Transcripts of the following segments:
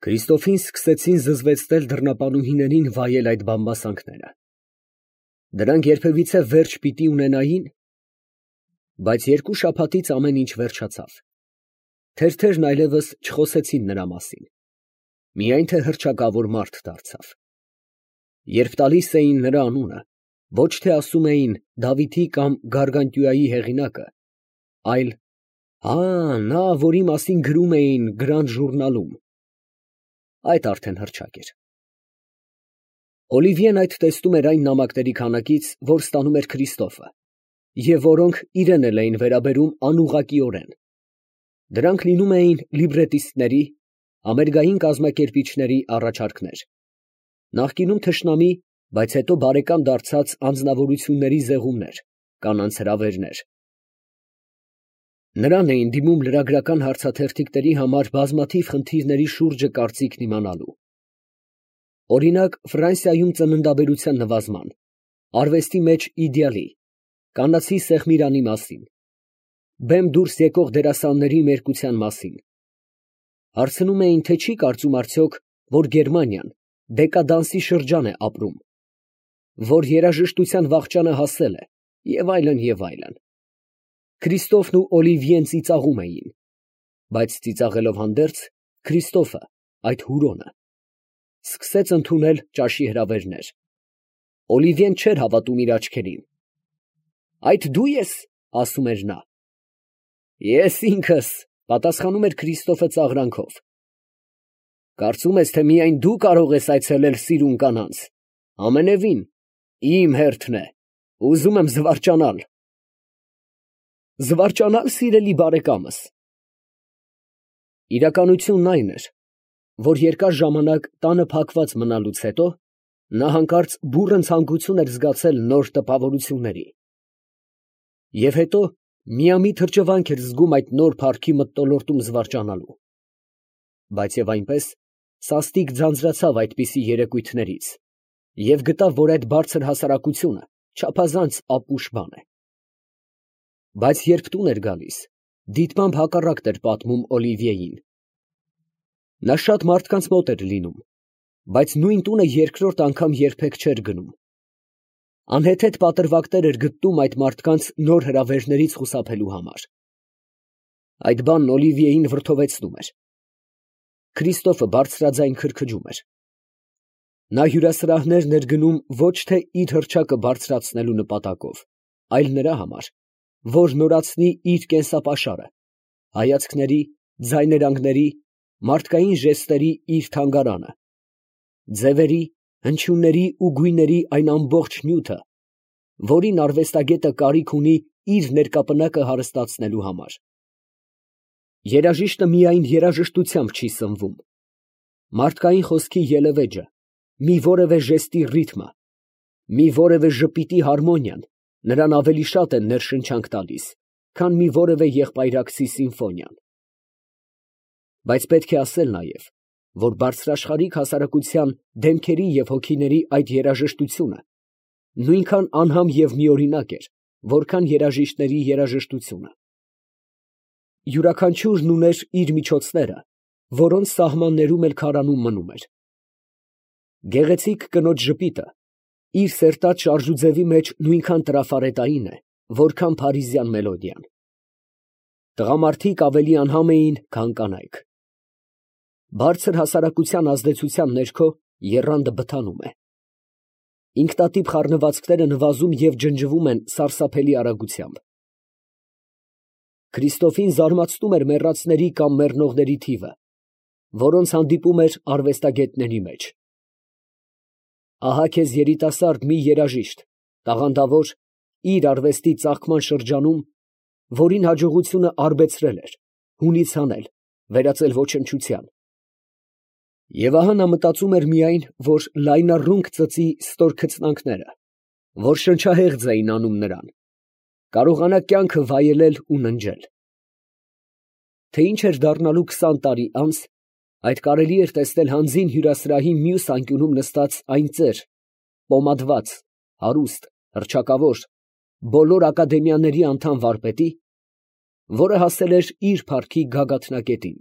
Քրիստոֆին սկսեցին զզվեցնել դռնապանուհիներին վայել այդ բամբասանքները. դրանք երբևիցե վերջ պիտի ունենայի՞ն, բայց 2 շաբաթից ամեն ինչ վերջացավ. թերթերն այլևս չխոսեցին նրա մասին, միայն թե հռչակավոր մարդ դարձավ. երբ տալիս էին նրա անունը, ոչ թե ասում էին Դավիթի կամ Գարգանտյուայի հեղինակը, այլ «Հա, նա, որի մասին գրում էին Գրանդ ժուրնալում», այդ արդեն հռչակ էր։ Օլիվիեն այդ տեսնում էր այն նամակների քանակից, որ ստանում էր Քրիստոֆը, և որոնք իրեն էլ էին վերաբերում անուղղակիորեն. դրանք լինում էին լիբրետիստների, համերգային կազմակերպիչների առաջարկներ, նախկինում թշնամի, բայց հետո բարեկամ դարձած անձնավորությունների զեղումներ, կանանց հրավերներ։ Նրան էին դիմում լրագրական հարցաթերթիկների համար բազմաթիվ խնդիրների շուրջը կարծիքն իմանալու։ Օրինակ, Ֆրանսիայում ծննդաբերության նվազման, արվեստի մեջ իդեալի, կանացի սեղմիրանի մասին, բեմ դուրս եկող դերասանների մերկության մասին։ Հարցնում էին, թե չի կարծում արդյոք, որ Գերմանիան դեկադանսի շրջան է ապրում, որ երաժշտության վախճանը հասել է, և այլն, և այլն։ Քրիստոֆն ու Օլիվիեն ծիծաղում էին, բայց ծիծաղելով հանդերձ, Քրիստոֆը, այդ հուրոնը, սկսեց ընդունել ճաշի հրավերներ։ Օլիվիեն չէր հավատում իր աչքերին։ «Այդ դու ես», ասում էր նա։ «Ես ինքս», պատասխանում էր Քրիստոֆը ծաղրանքով։ «Կարծում ես, թե միայն դու կարող ես այցելել սիրուն կանանց, ամենևին, իմ հերթն է, ուզում եմ զվարճանալ»։ Զվարճանալ, սիրելի բարեկամս։ Իրականությունն այն էր, որ երկար ժամանակ տանը փակված մնալուց հետո նա հանկարծ բուռն ցանկություն էր զգացել նոր տպավորությունների։ Եվ հետո միամիտ հրճվանք էր զգում այդ նոր փառքի մթնոլորտում զվարճանալու։ Բայց և այնպես սաստիկ ձանձրացավ այդպիսի երեկույթներից և գտավ, որ այդ բարձր հասարակությունը չափազանց ապուշ բան է։ Բայց երբ տուն էր գալիս, դիտմամբ հակառակն էր պատմում Օլիվիեին։ Նա շատ մարդկանց մոտ էր լինում, բայց նույն տունը երկրորդ անգամ երբեք չէր գնում։ Անհեթեթ պատրվակներ էր գտնում այդ մարդկանց նոր հրավերներից խուսափելու համար։ Այդ բանն Օլիվիեին վրդովեցնում էր։ Քրիստոֆը բարձրաձայն քրքջում էր։ Նա հյուրասրահներն էր գնում ոչ թե իր հռչակը բարձրացնելու նպատակով, այլ նրա համար, որ նորացնի իր կենսապաշարը, հայացքների, ձայներանգների, մարդկային ժեստերի իր թանգարանը, ձևերի, հնչյունների ու գույների այն ամբողջ նյութը, որին արվեստագետը կարիք ունի իր ներկապնակը հարստացնելու համար։ Երաժիշտը միայն երաժշտությամբ չի սնվում։ Մարդկային խոսքի ելևէջը, մի որևէ ժեստի ռիթմը, մի որևէ ժպիտի հարմոնիան նրան ավելի շատ է ներշնչանք տալիս, քան մի որևէ եղբայրակցի սիմֆոնիան։ Բայց պետք է ասել նաև, որ բարձրաշխարհիկ հասարակության դեմքերի և հոգիների այդ երաժշտությունը նույնքան անհամ և միօրինակ էր, որքան երաժիշտների երաժշտությունը։ Յուրաքանչյուրն ուներ իր միջոցները, որոնց սահմաններում էլ քարանում մնում էր։ Գեղեցիկ կնոջ ժպիտը իր սերտած շարժուձևի մեջ նույնքան տրաֆարետային է, որքան փարիզյան մելոդիան։ Տղամարդիկ ավելի անհամ էին, քան կանայք։ Բարձր հասարակության ազդեցության ներքո եռանդը բթանում է։ Ինքնատիպ խառնվածքները նվազում և ջնջվում են սարսափելի արագությամբ։ Քրիստոֆին զարմացնում էր մեռածների կամ մեռնողների թիվը, որոնց հանդիպում էր արվեստագետների մեջ։ Ահա քեզ երիտասարդ մի երաժիշտ, տաղանդավոր, իր արվեստի ծաղկման շրջանում, որին հաջողությունը արբեցրել էր, հունից հանել, վերածել ոչնչության։ Եվ ահա նա մտածում էր միայն, որ լայնառունկ ծծի ստոր քծնանքները, որ շնչահեղձ էին անում նրան, կարողանա կյանքը վայելել ու ննջել։ Թե ինչ էր դառնալու 20 տարի անց, այդ կարելի էր տեսնել հանձին հյուրասրահի մյուս անկյունում նստած այն ծեր, պոմադված, հարուստ, հռչակավոր, բոլոր ակադեմիաների անդամ վարպետի, որը հասել էր իր փառքի գագաթնակետին,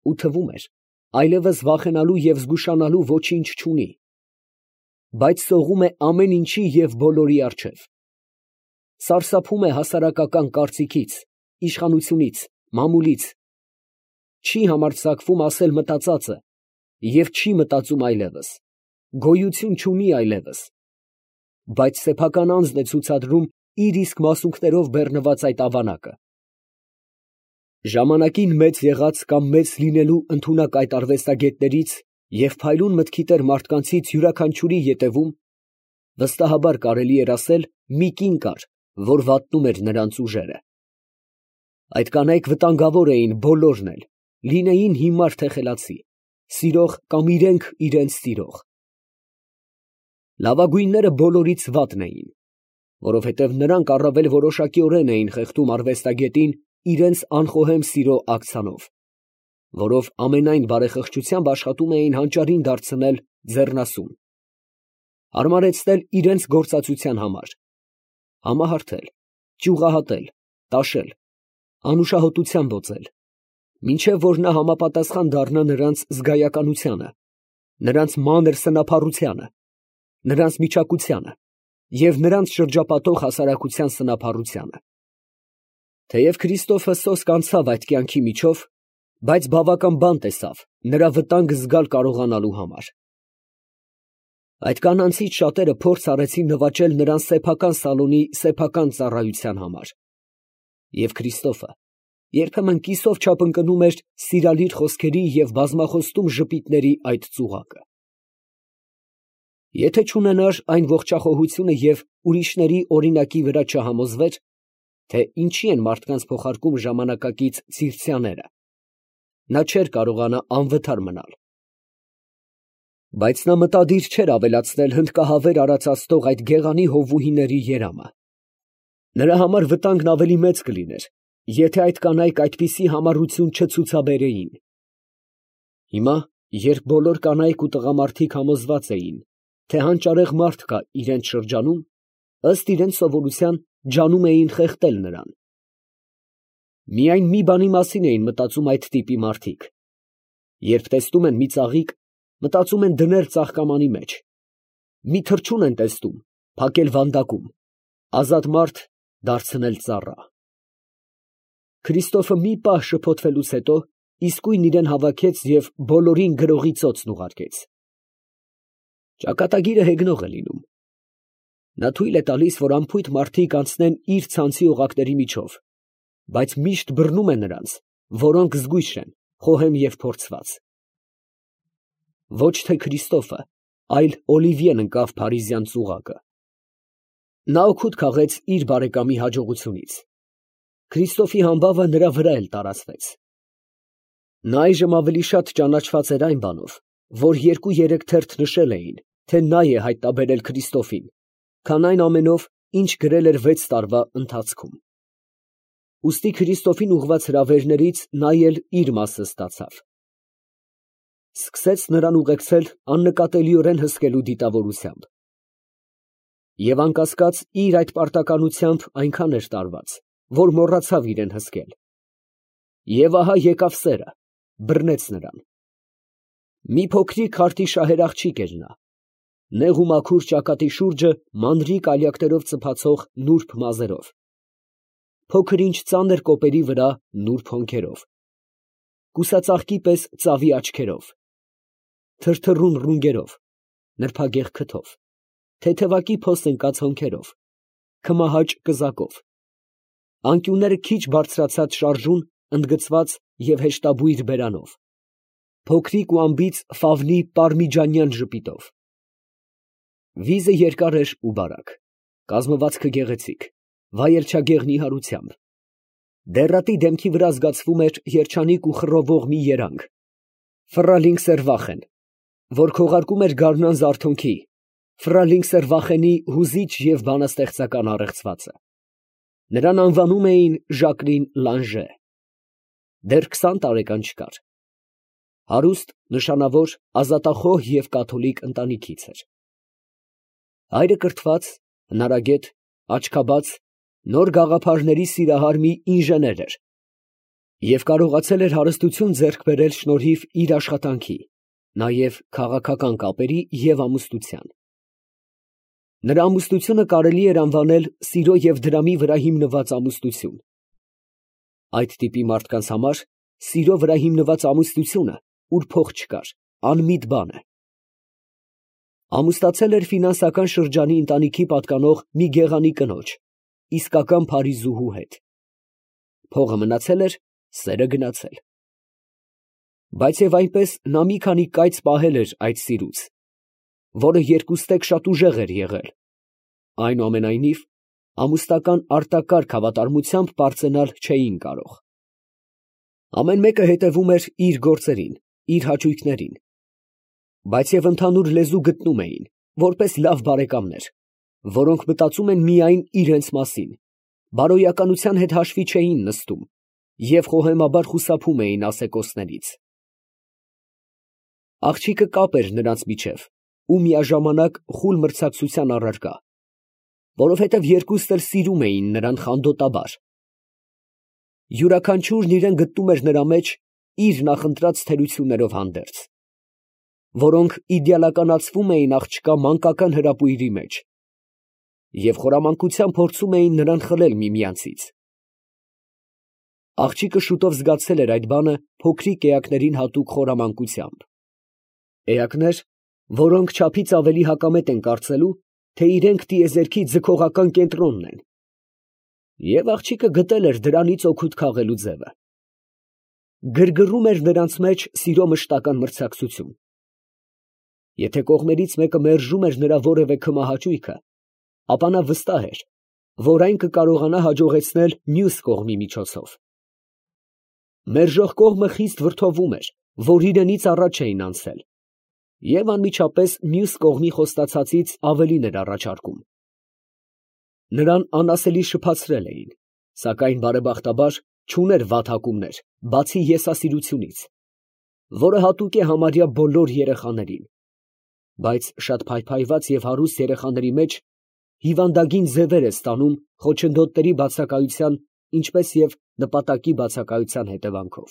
ու թվում էր, այլևս վախենալու և զգուշանալու ոչինչ չունի, բայց սողում է ամեն ինչի և բոլորի առջև, սարսափում է հասարակական կարծիքից, իշխանությունից, մամուլից, չի համարձակվում ասել մտածածը և չի մտածում այլևս, գոյություն չունի այլևս, բայց սեփական անձն է ցուցադրում իր իսկ մասունքներով բեռնված այդ ավանակը։ Ժամանակին մեծ եղած կամ մեծ լինելու ընդունակ այդ արվեստագետներից և փայլուն մտքի տեր մարդկանցից յուրաքանչյուրի ետևում, վստահաբար կարելի էր ասել, մի կին կար, որ վատնում էր նրանց ուժերը։ Այդ կանայք վտանգավոր էին բոլորն էլ, լինեին հիմար թե խելացի, սիրող կամ իրենք իրենց սիրող։ Լավագույնները բոլորից վատն էին, որովհետև նրանք առավել որոշակիորեն էին խեղդում արվեստագետին իրենց անխոհեմ սիրո աքցանով, որով ամենայն բարեխղճությամբ աշխատում էին հանճարին դարձնել ձեռնասուն, հարմարեցնել իրենց գործածության համար, համահարթել, ճյուղահատել, տաշել, անուշահոտությամբ օծել, մինչև որ նա համապատասխան դառնա նրանց զգայականությանը, նրանց մանր սնափառությանը, նրանց միջակությանը և նրանց շրջապատող հասարակության սնափառությանը։ Թեև Քրիստոֆը սոսկ անցավ այդ կյանքի միջով, բայց բավական բան տեսավ նրա վտանգ զգալ կարողանալու համար։ Այդ կանանցից շատերը փորձ արեցին նվաճել նրան սեփական սալոնի սեփական ծառայության համար, և Քրիստոֆը երբեմն կիսով չափ ընկնում էր սիրալիր խոսքերի և բազմախոստում ժպիտների այդ ծուղակը։ Եթե չունենար այն ողջախոհությունը և ուրիշների օրինակի վրա չհամոզվեր, թե ինչի են մարդկանց փոխարկում ժամանակակից ցիվցյաները, նա չէր կարողանա անվթար մնալ։ Բայց նա մտադիր չէր ավելացնել հնդկահավեր արածացնող այդ գեղանի հովուհիների երամը։ Նրա համար վտանգն ավելի մեծ կլիներ, եթե այդ կանայք այդպիսի համառություն չցուցաբերեին։ Հիմա, երբ բոլոր կանայք ու տղամարդիկ համոզված էին, թե հանճարեղ մարդ կա իրենց շրջանում, ըստ իրենց սովորության ջանում էին խեղդել նրան։ Միայն մի բանի մասին էին մտածում այդ տիպի մարդիկ. երբ տեսնում են մի ծաղիկ, մտածում են դնել ծաղկամանի մեջ, մի թռչուն են տեսնում, փակել վանդակում, ազատ մարդ դարձնել ծառա։ Քրիստոֆը մի պահ շփոթվելուց հետո իսկույն իրան հավաքեց և բոլորին գրողի ծոցն ուղարկեց։ Ճակատագիրը հեգնող է լինում։ Նա թույլ է տալիս, որ անփույթ մարդիկ անցնեն իր ցանցի օղակների միջով, բայց միշտ բռնում է նրանց, որոնք զգույշ են, խոհեմ և փորձված։ Ոչ թե Քրիստոֆը, այլ Օլիվիեն ընկավ փարիզյան ծուղակը։ Նա օգուտ քաղեց իր բարեկամի հաջողությունից։ Քրիստոֆի համբավը նրա վրա էլ տարածվեց։ Նա այժմ ավելի շատ ճանաչված էր այն բանով, որ 2-3 թերթ նշել էին, թե նա է հայտնաբերել Քրիստոֆին, քան այն ամենով, ինչ գրել էր 6 տարվա ընթացքում։ Ուստի Քրիստոֆին ուղղված հրավերներից նա էլ իր մասը ստացավ։ Սկսեց նրան ուղեկցել աննկատելիորեն հսկելու դիտավորությամբ։ Եվ անկասկած իր այդ պարտականությամբ այնքան էր տարված, որ մոռացավ իրեն հսկել։ Եվ ահա եկավ սերը, բռնեց նրան։ Մի փոքրիկ խարտիշահեր աղջիկ էր նա, նեղ ու մաքուր ճակատի շուրջը մանրիկ ալյակներով ծփացող նուրբ մազերով, փոքր ինչ ծանր կոպերի վրա նուրբ հոնքերով, կուսածաղկի պես ծավի աչքերով, թրթռուն ռունգերով, նրբագեղ քթով, թեթևակի փոստ ընկած հոնքերով, քմահաճ կզակով, անկյունները քիչ բարձրացած շարժուն, ընդգծված և հեշտաբույր բերանով, փոքրիկ ու անբիծ ֆավնի պարմիջանյան ժպիտով։ Վիզը երկար էր ու բարակ, կազմվածքը գեղեցիկ, վայելչագեղ նիհարությամբ։ Դեռատի դեմքի վրա զգացվում էր երջանիկ ու խռովող մի երանգ, ֆռալինգսերվախեն, որ քողարկում էր գարնան զարթոնքի, ֆռալինգսերվախենի հուզիչ և բանաստեղծական առեղծվածը։ Նրան անվանում էին Ժակլին Լանժե։ Դեռ 20 տարեկան չկար։ Հարուստ, նշանավոր, ազատախոհ և կաթոլիկ ընտանիքից էր։ Հայրը կրթված, հնարագետ, աչքաբաց, նոր գաղափարների սիրահար մի ինժեներ էր։ Եվ կարողացել էր հարստություն ձեռք բերել շնորհիվ իր աշխատանքի, նաև քաղաքական կապերի և ամուսնության։ Նրա ամուսնությունը կարելի էր անվանել սիրո և դրամի վրա հիմնված ամուսնություն։ Այդ տիպի մարդկանց համար սիրո վրա հիմնված ամուսնությունը, ուր փող չկար, անմիտ բան է։ Ամուսնացել էր ֆինանսական շրջանի ընտանիքի պատկանող մի գեղանի կնոջ, իսկական փարիզուհու հետ։ Փողը մնացել էր, սերը գնացել։ Բայց և այնպես նա մի քանի կայծ պահել էր այդ սիրուց, որը երկուստեք շատ ուժեղ էր եղել, այնուամենայնիվ ամուսնական արտակարգ հավատարմությամբ պարծենալ չէին կարող։ Ամեն մեկը հետևում էր իր գործերին, իր հաճույքներին, բայց և ընդհանուր լեզու գտնում էին, որպես լավ բարեկամներ, որոնք մտածում են միայն իրենց մասին, բարոյականության հետ հաշվի չէին նստում և խոհեմաբար խուսափում էին ասեկոսներից։ Աղջիկը կապ էր նրանց միջև ու միաժամանակ խուլ մրցակցության առարկա, որովհետև երկուստ էլ սիրում էին նրան խանդոտաբար։ Յուրաքանչյուրն իրան գտնում էր նրա մեջ իր նախընտրած թերություններով հանդերձ, որոնք իդեալականացվում էին աղջկա մանկական հրապույրի մեջ և խորամանկությամբ փորձում էին նրան խլել միմյանցից։ Աղջիկը շուտով զգացել էր այդ բանը փոքրիկ էակներին հատուկ խորամանկությամբ։ Էակներ, որոնք չափից ավելի հակամետ են կարծելու, թե իրենք տիեզերքի ձգողական կենտրոնն են, և աղջիկը գտել էր դրանից օգուտ քաղելու ձևը։ Գրգռում էր նրանց մեջ սիրո մշտական մրցակցություն։ Եթե կողմերից մեկը մերժում էր նրա որևէ քմահաճույքը, ապա նա վստահ էր, որ այն կկարողանա հաջողեցնել մյուս կողմի միջոցով։ Մերժող կողմը խիստ վրդովում էր, որ իրենից առաջ էին անցել, և անմիջապես մյուս կողմի խոստացածից ավելին էր առաջարկում։ Նրան անասելի շփացրել էին, սակայն բարեբախտաբար չուներ վատ հակումներ, բացի եսասիրությունից, որը հատուկ է համարյա բոլոր երեխաներին, բայց շատ փայփայված և հարուստ երեխաների մեջ հիվանդագին ձևեր է ստանում խոչընդոտների բացակայության, ինչպես և նպատակի բացակայության հետևանքով։